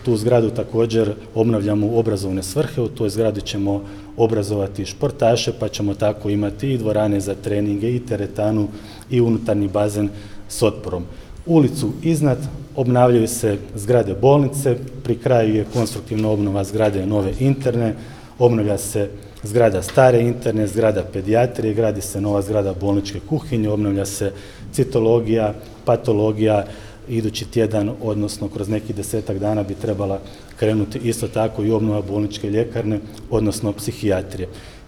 Tu zgradu također obnavljamo u obrazovne svrhe, u toj zgradi ćemo obrazovati športaše, pa ćemo tako imati i dvorane za treninge, i teretanu, i unutarnji bazen s otporom. Ulicu iznad obnavljaju se zgrade bolnice, pri kraju je konstruktivna obnova zgrade nove interne, obnavlja se zgrada stare interne, zgrada pedijatrije, gradi se nova zgrada bolničke kuhinje, obnavlja se citologija, patologija. Idući tjedan, odnosno kroz neki 10-ak dana bi trebala krenuti isto tako i obnova bolničke ljekarne, odnosno psihijatrije.